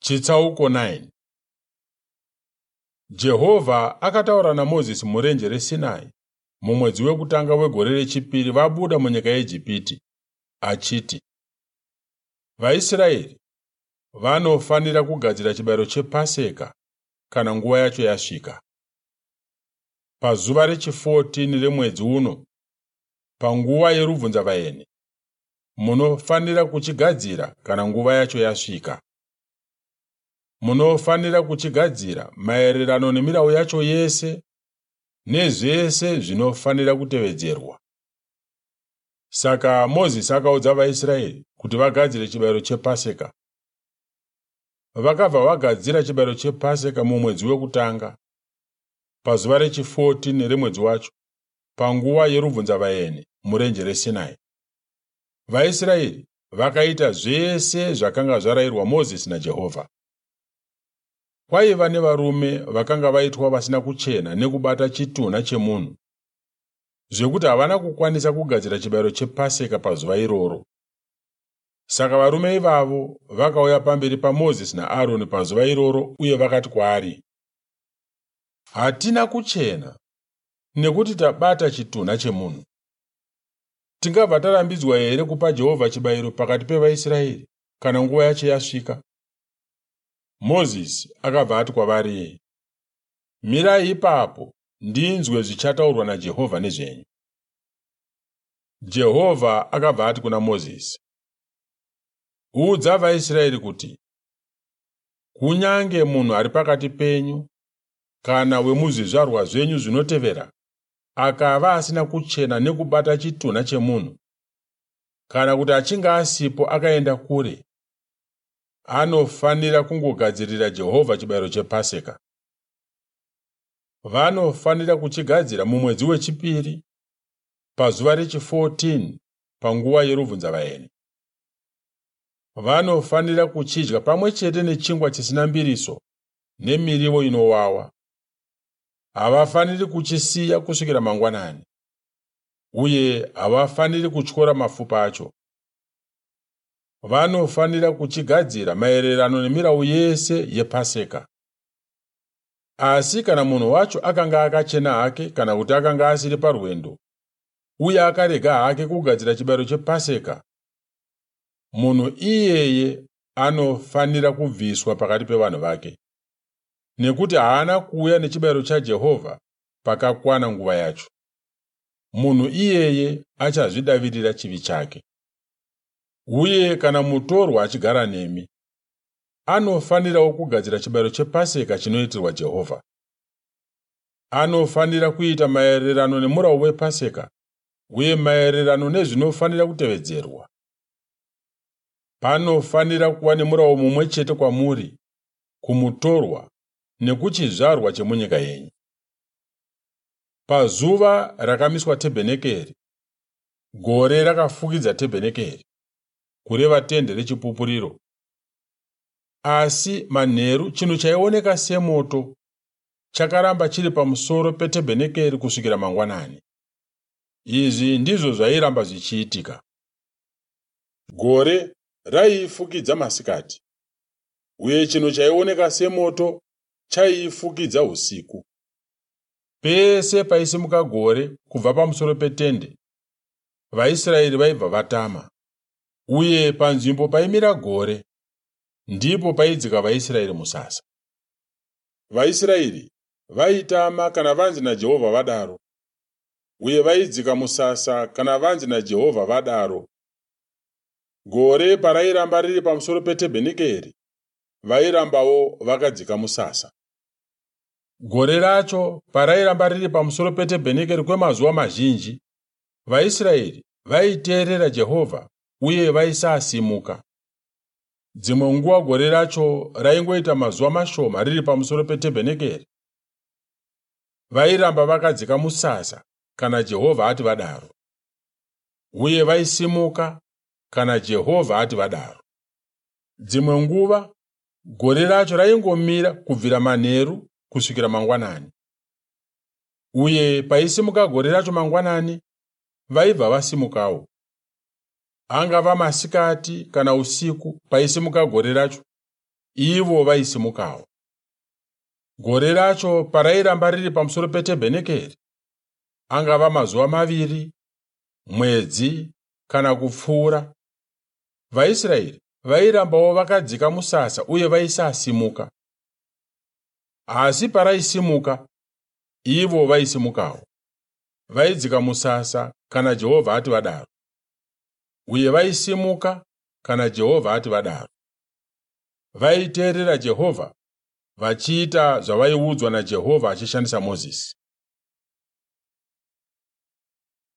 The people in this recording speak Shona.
Chitsauko 9. Jehovha akataura naMozisi murenje reSinai mumwedzi wekutanga wegore rechipiri vabuda munyika yeIjipiti, achiti, VaIsraeri vanofanira kugadzira chibayiro chePaseka kana nguva yacho yasvika. Pazuva rechi14 remwedzi uno, panguva yerubvunzavaeni, munofanira kuchigadzira kana nguva yacho yasvika. Munofanira kuchigadzira maererano nemirau yacho yese nezvese zvinofanira kutevedzerwa. Saka Mozisi akaudza vaIsraeri kuti vagadzire chibayiro chePaseka. Vakabva vagadzira chibayiro chePaseka mumwedzi wekutanga, pazuva rechi14 remwedzi wacho, panguva yerubvunzavaeni murenje reSinai. VaIsraeri vakaita zvese zvakanga zvarayirwa Mozisi naJehovha. Kwaiva nevarume vakanga vaitwa vasina kuchena nekubata chitunha chemunhu, zvekuti havana kukwanisa kugadzira chibayiro chePaseka pazuva iroro. Saka varume ivavo vakauya pamberi paMozisi naAroni pazuva iroro uye vakati kwaari, Hatina kuchena nekuti tabata chitunha chemunhu. Tingabva tarambidzwa here kupa Jehovha chibayiro pakati pevaIsraeri kana nguva yacho yasvika? Mozisi akabva ati kwavari, Mirai ipapo ndinzwe zvichataurwa naJehovha nezvenyu. Jehovha akabva ati kuna Mozisi, Udza vaIsraeri kuti, Kunyange munhu ari pakati penyu kana wemuzvizvarwa zvenyu zvinotevera akava asina kuchena nekubata chitunha chemunhu, kana kuti achinge asipo akaenda kure, anofanira kungogadzirira Jehovha chibayiro chePaseka. Vanofanira kuchigadzira mumwedzi wechipiri, pazuva rechi14 panguva yerubvunzavaeni. Vanofanira kuchidya pamwe chete nechingwa chisina mbiriso nemiriwo inowawa. Havafaniri kuchisiya kusvikira mangwanani, uye havafaniri kutyora mafupa acho. Vanofanira kuchigadzira maererano nemirau yese yePaseka. Asi kana munhu wacho akanga akachena hake kana kuti akanga asiri parwendo uye akarega hake kugadzira chibayiro chePaseka, munhu iyeye anofanira kubviswa pakati pevanhu vake, nekuti haana kuuya nechibayiro chaJehovha pakakwana nguva yacho. Munhu iyeye achazvidavirira chivi chake. Uye kana mutorwa achigara nemi, anofanirawo kugadzira chibayiro chePaseka chinoitirwa Jehovha. Anofanira kuita maererano nemurau wePaseka uye maererano nezvinofanira kutevedzerwa. Panofanira kuva nemurau mumwe chete kwamuri, kumutorwa nekuchizvarwa chemunyika yenyu. Pazuva rakamiswa tebhenekeri, gore rakafukidza tebhenekeri, kureva tende rechipupuriro. Asi manheru chinhu chaioneka semoto chakaramba chiri pamusoro petebhenekeri kusvikira mangwanani. Izvi ndizvo zvairamba zvichiitika. Gore raiifukidza masikati, uye chinhu chaioneka semoto chaiifukidza usiku. Pese paisimuka gore kubva pamusoro petende, vaIsraeri vaibva vatama, uye panzvimbo paimira gore, ndipo paidzika vaIsraeri musasa. VaIsraeri vaitama kana vanzi naJehovha vadaro, uye vaidzika musasa kana vanzi naJehovha vadaro. Gore parairamba riri pamusoro petebhenekeri, vairambawo vakadzika musasa. Gore racho parairamba riri pamusoro petebhenekeri kwemazuva mazhinji, vaIsraeri vaiteerera Jehovha uye vaisasimuka. Dzimwe nguva gore racho raingoita mazuva mashoma riri pamusoro petebhenekeri. Vairamba vakadzika musasa kana Jehovha ati vadaro, uye vaisimuka kana Jehovha ati vadaro. Dzimwe nguva gore racho raingomira kubvira manheru kusvikira mangwanani, uye paisimuka gore racho mangwanani, vaibva vasimukawo. Angava masikati kana usiku paisimuka gore racho, ivo vaisimukawo. Gore racho parairamba riri pamusoro petebhenekeri, angava mazuva maviri, mwedzi kana kupfuura, vaIsraeri vairambawo vakadzika musasa uye vaisasimuka. Asi paraisimuka, ivo vaisimukawo. Vaidzika musasa kana Jehovha ati vadaro, uye vaisimuka kana Jehovha ati vadaro. Vaiteerera Jehovha vachiita zvavaiudzwa naJehovha achishandisa Mozisi.